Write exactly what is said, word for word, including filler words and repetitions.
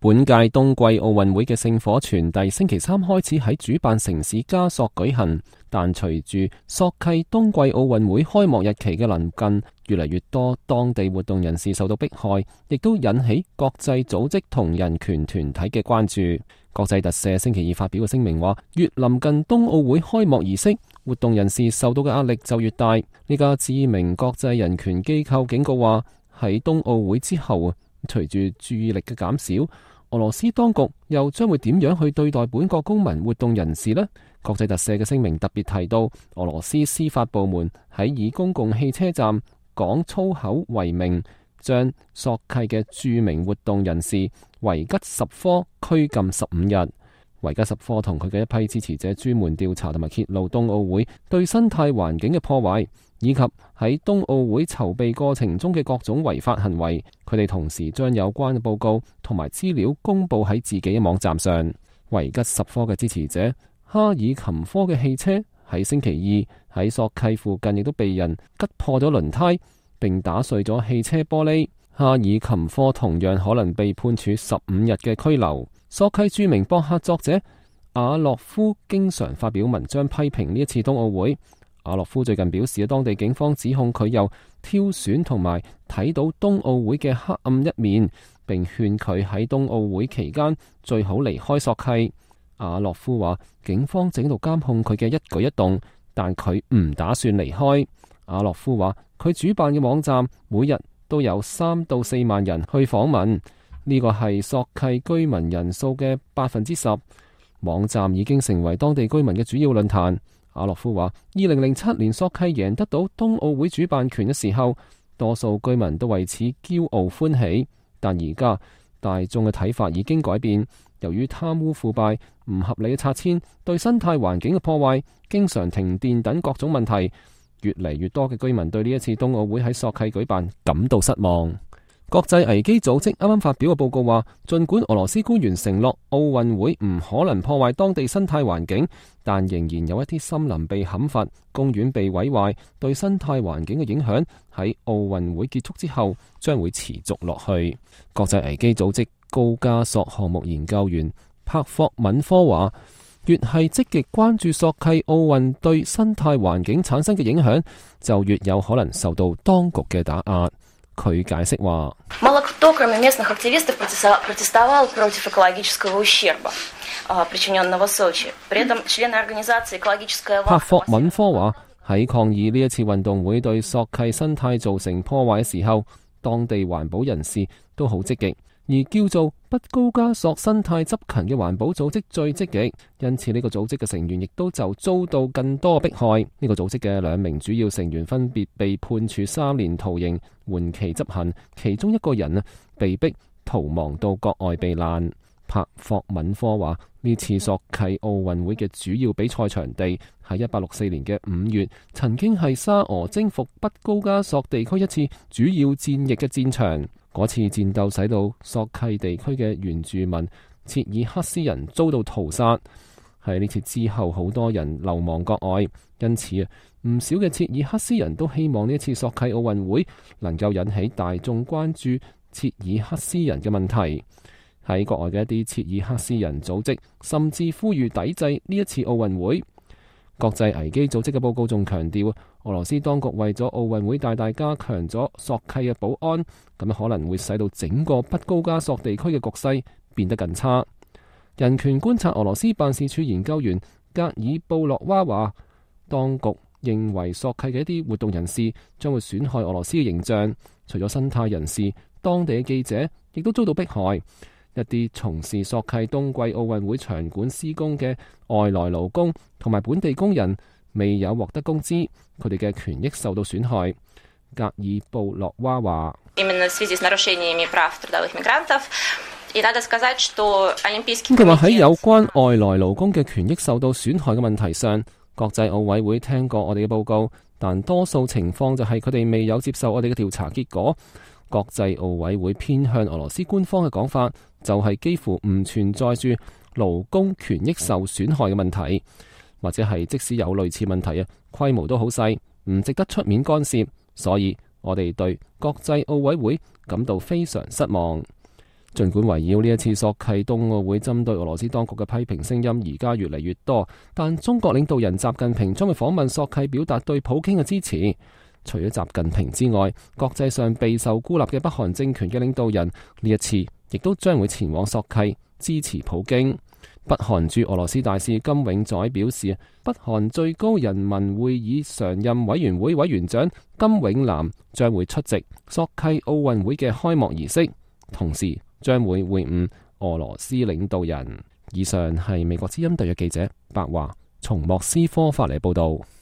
本屆冬季奧運會嘅聖火傳遞星期三開始喺主辦城市加索舉行，但隨住索契冬季奧運會開幕日期嘅臨近，越嚟越多當地活動人士受到迫害，亦都引起國際組織同人權團體嘅關注。國際特赦星期二發表嘅聲明話，越臨近冬奧會開幕儀式，活動人士受到嘅壓力就越大。呢家知名國際人權機構警告話，喺冬奧會之後啊，隨住注意力嘅減少，俄羅斯當局又將會點樣去對待本國公民活動人士呢？國際特赦嘅聲明特別提到，俄羅斯司法部門喺以公共汽車站講粗口為名，將索契嘅著名活動人士維吉什科拘禁十五日。維吉什科同佢嘅一批支持者專門調查同埋揭露冬奧會對生態環境嘅破壞，以及喺冬奧會籌備過程中嘅各種違法行為。佢哋同時將有關嘅報告同埋資料公佈喺自己嘅網站上。維吉什科嘅支持者哈爾琴科嘅汽車喺星期二喺索契附近亦都被人吉破咗輪胎，並打碎咗汽車玻璃。哈爾琴科同樣可能被判處十五日嘅拘留。索契著名博客作者阿洛夫經常發表文章批評呢一次冬奧會。阿洛夫最近表示，當地警方指控佢又挑選同埋睇到冬奧會嘅黑暗一面，並勸佢喺冬奧會期間最好離開索契。阿洛夫話，警方正喺度監控佢嘅一舉一動，但佢唔打算離開。阿洛夫話，佢主辦嘅網站每日都有三到四萬人去訪問，呢個係索契居民人數嘅百分之十。網站已經成為當地居民嘅主要論壇。阿洛夫話，二零零七年索契贏得到冬奧會主辦權嘅時候，多數居民都為此驕傲歡喜，但而家大眾嘅睇法已經改變。由於貪污腐敗、唔合理嘅拆遷、對生態環境嘅破壞、經常停電等各種問題，越嚟越多嘅居民對呢一次冬奧會喺索契舉辦感到失望。國際危機組織啱啱發表嘅報告話，儘管俄羅斯官員承諾奧運會唔可能破壞當地生態環境，但仍然有一啲森林被砍伐、公園被毀壞，對生態環境嘅影響喺奧運會結束之後將會持續落去。國際危機組織高加索項目研究員帕霍敏科話，越係積極關注索契奧運對生態環境產生嘅影響，就越有可能受到當局嘅打壓。佢解釋話，帕霍敏科話，喺抗議呢一次運動會對索契生態造成破壞嘅時候，當地環保人士都好積極。而叫做北高加索生態執勤嘅環保組織最積極，因此呢個組織嘅成員亦都就遭到更多迫害。呢、這個組織嘅兩名主要成員分別被判處三年徒刑，緩期執行，其中一個人啊被逼逃亡到國外避難。帕霍敏科話，呢次索契奧運會嘅主要比賽場地喺一八六四年嘅五月，曾經係沙俄征服北高加索地區一次主要戰役嘅戰場。嗰次戰鬥使到索契地區嘅原住民切爾克斯人遭到屠殺。喺呢次之後，好多人流亡國外，因此啊，唔少嘅切爾克斯人都希望呢次索契奧運會能夠引起大眾關注切爾克斯人嘅問題。喺國外嘅一啲切爾克斯人組織甚至呼籲抵制呢一次奧運會。國際危機組織嘅報告仲強調，俄羅斯當局為咗奧運會大大加強咗索契嘅保安，咁可能會使到整個北高加索地區嘅局勢變得更差。人權觀察俄羅斯辦事處研究員格爾布洛娃話，當局認為索契嘅一啲活動人士將會損害俄羅斯嘅形象，除咗生態人士，當地嘅記者亦都遭到迫害。一啲從事索契冬季奧運會場館施工嘅外來勞工同埋本地工人未有獲得工資，佢哋嘅權益受到損害。格爾布洛娃話，佢話喺有關外來勞工嘅權益受到損害嘅問題上，國際奧委會聽過我哋嘅報告，但多數情況就係佢哋未有接受我哋嘅調查結果。國際奧委會偏向俄羅斯官方嘅講法，就係幾乎唔存在住勞工權益受損害嘅問題，或者係即使有類似問題啊，規模都好細，唔值得出面干涉。所以我哋對國際奧委會感到非常失望。儘管圍繞呢一次索契冬奧會針對俄羅斯當局嘅批評聲音而家越嚟越多，但中國領導人習近平將會訪問索契，表達對普京嘅支持。除咗習近平之外，國際上備受孤立嘅北韓政權嘅領導人呢一次亦都將會前往索契支持普京。北韓駐俄羅斯大使金永載表示，北韓最高人民會議常任委員會委員長金永南將會出席索契奧運會嘅開幕儀式，同時將會會晤俄羅斯領導人。以上係美國之音特約記者白華從莫斯科發嚟報道。